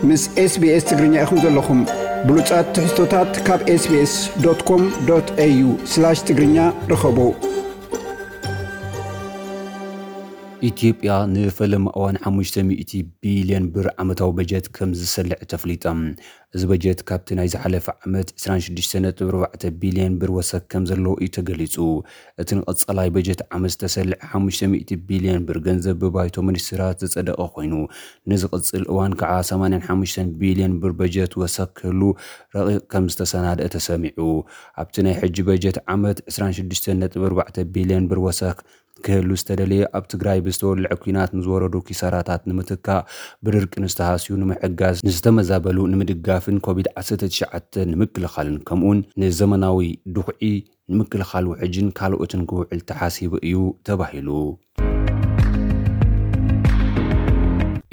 ምስ SBS ትግርኛ ኢኹም ዘለኹም። ብሉጻት ትሕዝቶታት ካብ SBS.com.au/ትግርኛ ርኸቡ። ኢትዮጵያ ንፈለማ እዋን ሓሙሽተ ሚእቲ ቢልዮን ብር ዓመታዊ በጀት ከም ዝሰልዕ ተፍሊጣ። እዚ በጀት ካብቲ ናይ ዝሓለፈ ዓመት ዕስራን ሽዱሽተ ነጥቢ ኣርባዕተ ቢልዮን ብር ወሰኽ ከም ዘለዎ እዩ ተገሊጹ። እቲ ንቐጻላይ በጀት ዓመት ዝተሰልዐ ሓሙሽተ ሚእቲ ቢልዮን ብር ገንዘብ ብባይቶ ሚኒስትራት ዝጸደቐ ኮይኑ፣ ንዝቕጽል እዋን ከዓ ሰማንያን ሓሙሽተን ቢልዮን ብር በጀት ወሰኽ ክህሉ ረቂቕ ከም ዝተሰናድአ ተሰሚዑ። ኣብቲ ናይ ሕጂ በጀት ዓመት ዕስራን ሽዱሽተን ነጥቢ ኣርባዕተ ቢልዮን ብር ወሰኽ ክህሉ ዝተደለየ፣ ኣብ ትግራይ ብዝተወልዐ ኲናት ንዝወረዱ ኪሳራታት ንምትካእ፣ ብድርቂ ንዝተሃስዩ ንምሕጋዝ፣ ንዝተመዛበሉ ንምድጋፍን ኮቪድ ዓሰርተ ትሽዓተ ንምክልኻልን፣ ከምኡውን ንዘመናዊ ድኹዒ ንምክልኻል ውሕጅን ካልኦትን ክውዕል ተሓሲቡ እዩ ተባሂሉ።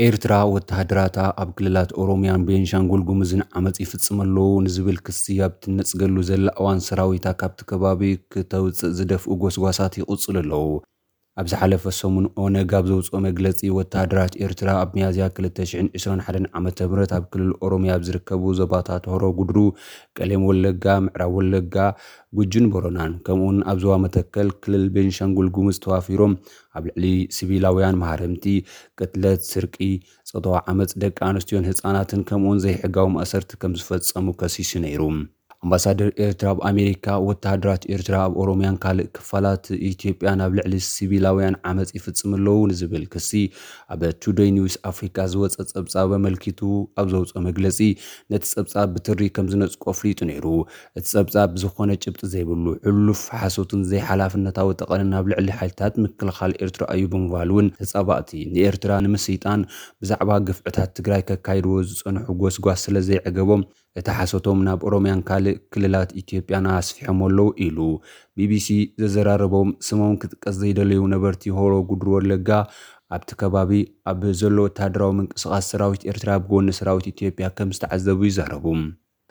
ኤርትራ ወተሃደራታ ኣብ ክልላት ኦሮሚያን ቤንሻንጉል ጉሙዝን ዓመጽ ይፍጽም ኣለዉ ንዝብል ክሲ ኣብ ትነጽገሉ ዘላ እዋን፣ ሰራዊታ ካብቲ ከባቢ ክተውጽእ ዝደፍኡ ጎስጓሳት ይቕጽሉ ኣለዉ። ኣብ ዝሓለፈ ሰሙን ኦነግ ኣብ ዘውጽኦ መግለጺ፣ ወተሃደራት ኤርትራ ኣብ ሚያዝያ ክልተ ሽሕን ዕስራን ሓደን ዓመተ ምህረት ኣብ ክልል ኦሮሚያ ኣብ ዝርከቡ ዞባታት ሆሮ ጉድሩ፣ ቀሌም ወለጋ፣ ምዕራብ ወለጋ፣ ጉጅን ቦረናን፣ ከምኡውን ኣብ ዞባ መተከል ክልል ቤንሻንጉል ጉሙዝ ተዋፊሮም ኣብ ልዕሊ ሲቪላውያን መሃረምቲ ቅትለት፣ ስርቂ፣ ጾታዊ ዓመጽ ደቂ ኣንስትዮን ህጻናትን ከምኡውን ዘይሕጋዊ ማእሰርቲ ከም ዝፈጸሙ ከሲሱ ነይሩ። ኣምባሳደር ኤርትራ ኣብ ኣሜሪካ፣ ወተሃደራት ኤርትራ ኣብ ኦሮሚያን ካልእ ክፋላት ኢትዮጵያን ኣብ ልዕሊ ሲቪላውያን ዓመጽ ይፍጽም ኣለዉ ንዝብል ክሲ ኣብ ቱደይ ኒውስ ኣፍሪካ ዝወጸ ጸብጻብ ኣመልኪቱ ኣብ ዘውጽኦ መግለጺ፣ ነቲ ጸብጻብ ብትሪ ከም ዝነጽቆ ኣፍሊጡ ነይሩ። እቲ ጸብጻብ ብዝኾነ ጭብጢ ዘይብሉ፣ ሕሉፍ ሓሶትን ዘይሓላፍነታዊ ጠቐንን ኣብ ልዕሊ ሓይልታት ምክልኻል ኤርትራ እዩ ብምባል እውን፣ ተጻባእቲ ንኤርትራ ንምስይጣን ብዛዕባ ግፍዕታት ትግራይ ከካይድዎ ዝጸንሑ ጎስጓስ ስለ ዘይዕገቦም፣ እቲ ሓሶቶም ናብ ኦሮሚያን ካልእ ክልላት ኢትዮጵያን ኣስፊሖም ኣለዉ ኢሉ። ቢቢሲ ዘዘራረቦም ስሞም ክጥቀስ ዘይደለዩ ነበርቲ ሆሮ ጉድሩ ወለጋ፣ ኣብቲ ከባቢ ኣብ ዘሎ ወተሃደራዊ ምንቅስቓስ ሰራዊት ኤርትራ ብጎኒ ሰራዊት ኢትዮጵያ ከም ዝተዓዘቡ ይዛረቡ።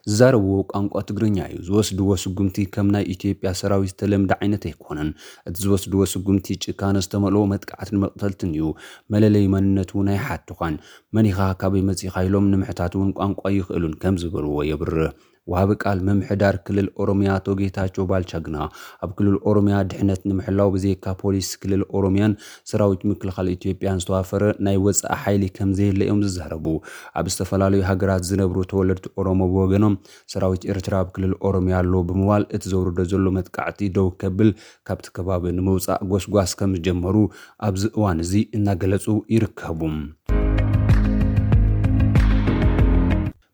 ዝዛረብዎ ቋንቋ ትግርኛ እዩ። ዝወስድዎ ስጉምቲ ከም ናይ ኢትዮጵያ ሰራዊት ዝተለምደ ዓይነት ኣይኮነን። እቲ ዝወስድዎ ስጉምቲ ጭካነ ዝተመልኦ መጥቃዕትን መቕተልትን እዩ። መለለዪ መንነት እውን ኣይሓትዃን። መን ኢኻ፣ ካበይ መጺኻ ኢሎም ንምሕታት እውን ቋንቋ ኣይኽእሉን ከም ዝበልዎ የብርህ። ወሃቢ ቃል ምምሕዳር ክልል ኦሮሚያ ኣቶ ጌታቸው ባልቻ ግና፣ ኣብ ክልል ኦሮሚያ ድሕነት ንምሕላው ብዘይካ ፖሊስ ክልል ኦሮሚያን ሰራዊት ምክልኻል ኢትዮጵያን ዝተዋፈረ ናይ ወጻኢ ሓይሊ ከም ዘየለ እዮም ዝዛረቡ። ኣብ ዝተፈላለዩ ሃገራት ዝነብሩ ተወለድቲ ኦሮሞ ብወገኖም፣ ሰራዊት ኤርትራ ኣብ ክልል ኦሮሚያ ኣሎ ብምባል፣ እቲ ዘውርዶ ዘሎ መጥቃዕቲ ደው ከብል ካብቲ ከባቢ ንምውጻእ ጎስጓስ ከም ዝጀመሩ ኣብዚ እዋን እዚ እናገለጹ ይርከቡ።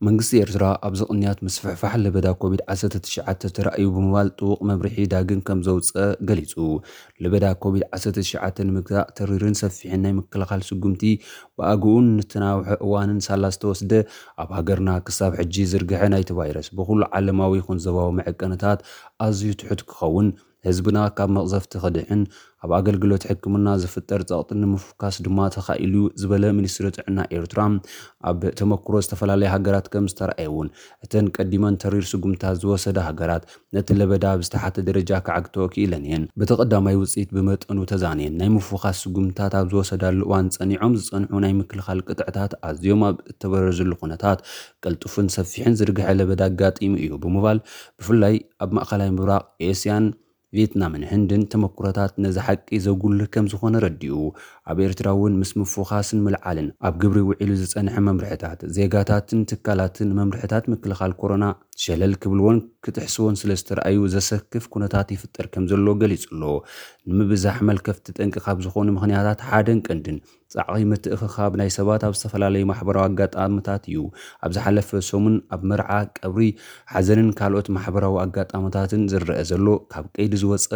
መንግስቲ ኤርትራ ኣብዚ ቅንያት ምስፍሕፋሕ ለበዳ ኮቪድ ዓሰርተ ትሽዓተ ተራእዩ ብምባል ጥቡቕ መምርሒ ዳግም ከም ዘውጸ ገሊጹ። ለበዳ ኮቪድ ዓሰርተ ትሽዓተ ንምግታእ ተሪርን ሰፊሕን ናይ ምክልኻል ስጉምቲ ብኣግኡን ንተናውሐ እዋንን ሳላ ዝተወስደ፣ ኣብ ሃገርና ክሳብ ሕጂ ዝርግሐ ናይቲ ቫይረስ ብኹሉ ዓለማዊ ይኹን ዞባዊ መዐቀንታት ኣዝዩ ትሑት ክኸውን፣ ህዝብና ካብ መቕዘፍቲ ክድሕን፣ ኣብ ኣገልግሎት ሕክምና ዝፍጠር ጸቕጢ ንምፍካስ ድማ ተኻኢሉ እዩ ዝበለ ሚኒስትሪ ጥዕና ኤርትራ፣ ኣብ ተመክሮ ዝተፈላለያ ሃገራት ከም ዝተረኣየ እውን፣ እተን ቀዲመን ተሪር ስጉምታት ዝወሰዳ ሃገራት ነቲ ለበዳ ኣብ ዝተሓተ ደረጃ ክዓግተኦ ክኢለን እየን። በቲ ቀዳማይ ውጽኢት ብመጠኑ ተዛንየን ናይ ምፍኻስ ስጉምትታት ኣብ ዝወሰዳሉ እዋን፣ ጸኒዖም ዝጸንሑ ናይ ምክልኻል ቅጥዕታት ኣዝዮም ኣብ እተበረዝሉ ኩነታት፣ ቅልጡፍን ሰፊሕን ዝርግሐ ለበዳ ኣጋጢሙ እዩ ብምባል፣ ብፍላይ ኣብ ማእኸላይ ምብራቕ፣ ኤስያን፣ ቪየትናምን ህንድን ተመኩሮታት ነዚ ሓቂ ዘጉልህ ከም ዝኾነ ረዲኡ። ኣብ ኤርትራ እውን ምስ ምፍዃስን ምልዓልን ኣብ ግብሪ ውዒሉ ዝጸንሐ መምርሕታት፣ ዜጋታትን ትካላትን መምርሕታት ምክልኻል ኮሮና ሸለል ክብልዎን ክጥሕስዎን ስለ ዝተረኣዩ ዘሰክፍ ኩነታት ይፍጠር ከም ዘሎ ገሊጹ ኣሎ። ንምብዛሕ መልከፍቲ ጠንቂ ካብ ዝኾኑ ምኽንያታት ሓደን ቀንድን ጻዕቒ ምትእኽኻብ ናይ ሰባት ኣብ ዝተፈላለዩ ማሕበራዊ ኣጋጣሚታት እዩ። ኣብ ዝሓለፈ ሰሙን ኣብ መርዓ፣ ቀብሪ፣ ሓዘንን ካልኦት ማሕበራዊ ኣጋጣሚታትን ዝረአ ዘሎ ካብ ቀይዲ ዝወጸ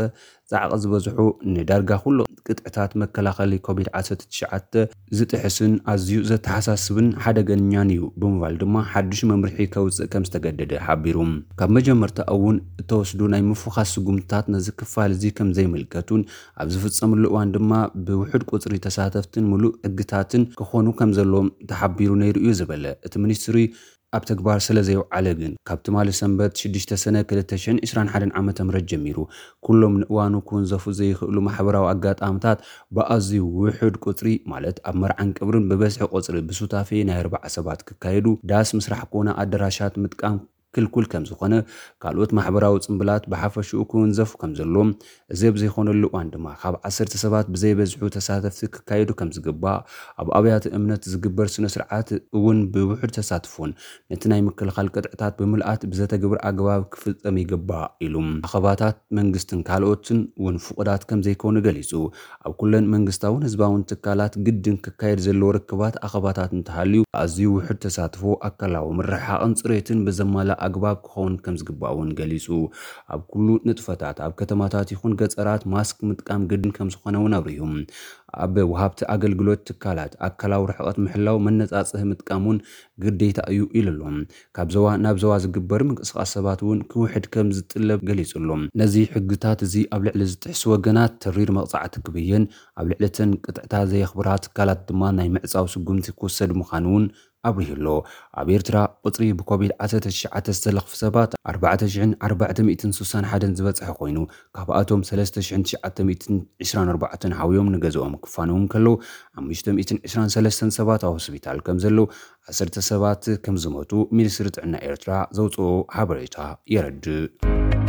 ጻዕቒ ዝበዝሑ፣ ንዳርጋ ኩሉ ቅጥዕታት መከላኸሊ ኮቪድ ዓሰርተ ትሽዓተ ዝጥሕስን ኣዝዩ ዘተሓሳስብን ሓደገኛን እዩ ብምባል ድማ ሓድሽ መምርሒ ከውጽእ ከም ዝተገደደ ሓቢሩ። ካብ መጀመርታ እውን እተወስዱ ናይ ምፍዃስ ስጉምትታት ነዚ ክፋል እዚ ከም ዘይምልከቱን ኣብ ዝፍጸምሉ እዋን ድማ ብውሑድ ቁጽሪ ተሳተፍትን ምሉእ ሕግታትን ክኾኑ ከም ዘለዎም ተሓቢሩ ነይሩ እዩ ዝበለ እቲ ሚኒስትሪ፣ ኣብ ተግባር ስለ ዘይውዓለ ግን፣ ካብ ትማሊ ሰንበት ሽዱሽተ ሰነ ክልተ ሽሕን ዕስራን ሓደን ዓመተ ምህረት ጀሚሩ፣ ኩሎም ንእዋኑ ክውንዘፉ ዘይኽእሉ ማሕበራዊ ኣጋጣምታት ብኣዝዩ ውሑድ ቁጽሪ፣ ማለት ኣብ መርዓን ቅብርን ብበዝሒ ቁጽሪ ብሱታፌ ናይ ኣርባዓ ሰባት ክካየዱ፣ ዳስ ምስራሕ ኮነ ኣደራሻት ምጥቃም ክልኩል ከም ዝኾነ፣ ካልኦት ማሕበራዊ ጽምብላት ብሓፈሽኡ ክውንዘፉ ከም ዘለዎም፣ እዚ ኣብ ዘይኮነሉ እዋን ድማ ካብ ዓሰርተ ሰባት ብዘይበዝሑ ተሳተፍቲ ክካየዱ ከም ዝግባእ፣ ኣብ ኣብያተ እምነት ዝግበር ስነ ስርዓት እውን ብውሑድ ተሳትፎን ነቲ ናይ ምክልኻል ቅጥዕታት ብምልኣት ብዘተግብር ኣግባብ ክፍጸም ይግባእ ኢሉ። ኣኸባታት መንግስትን ካልኦትን እውን ፍቑዳት ከም ዘይኮኑ ገሊጹ። ኣብ ኩለን መንግስታውን ህዝባውን ትካላት ግድን ክካየድ ዘለዎ ርክባት ኣኸባታት እንተሃልዩ፣ ኣዝዩ ውሑድ ተሳትፎ፣ ኣካላዊ ምርሕሓቕን ጽሬትን ብዘማልእ ኣግባብ ክኸውን ከም ዝግባእ እውን ገሊጹ። ኣብ ኩሉ ንጥፈታት፣ ኣብ ከተማታት ይኹን ገጸራት ማስክ ምጥቃም ግድን ከም ዝኾነ እውን ኣብሪሁ። ኣብ ወሃብቲ ኣገልግሎት ትካላት ኣካላዊ ርሕቐት ምሕላው መነጻጽሂ ምጥቃም እውን ግዴታ እዩ ኢሉ ኣሎ። ካብ ዞባ ናብ ዞባ ዝግበር ምንቅስቓስ ሰባት እውን ክውሕድ ከም ዝጥለብ ገሊጹ ኣሎ። ነዚ ሕግታት እዚ ኣብ ልዕሊ ዝጥሕሱ ወገናት ተሪር መቕጻዕቲ ክብየን፣ ኣብ ልዕሊ እተን ቅጥዕታ ዘየኽብራ ትካላት ድማ ናይ ምዕጻው ስጉምቲ ክውሰድ ምዃኑ እውን ኣብሪሁ ኣሎ። ኣብ ኤርትራ ቁጽሪ ብኮቪድ ዓሰርተ ትሽዓተ ዝተለኽፉ ሰባት ኣርባዕተ ሽሕን ኣርባዕተ ሚእትን ስሳን ሓደን ዝበጽሐ ኮይኑ፣ ካብኣቶም ሰለስተ ሽሕን ትሽዓተ ሚእትን ዕስራን ኣርባዕተን ሓውዮም ንገዝኦም ክፋነዉ እንከለዉ፣ ሓሙሽተ ሚእትን ዕስራን ሰለስተን ሰባት ኣብ ሆስፒታል ከም ዘለዉ፣ ዓሰርተ ሰባት ከም ዝሞቱ ሚኒስትሪ ጥዕና ኤርትራ ዘውጽኦ ሓበሬታ የረድእ።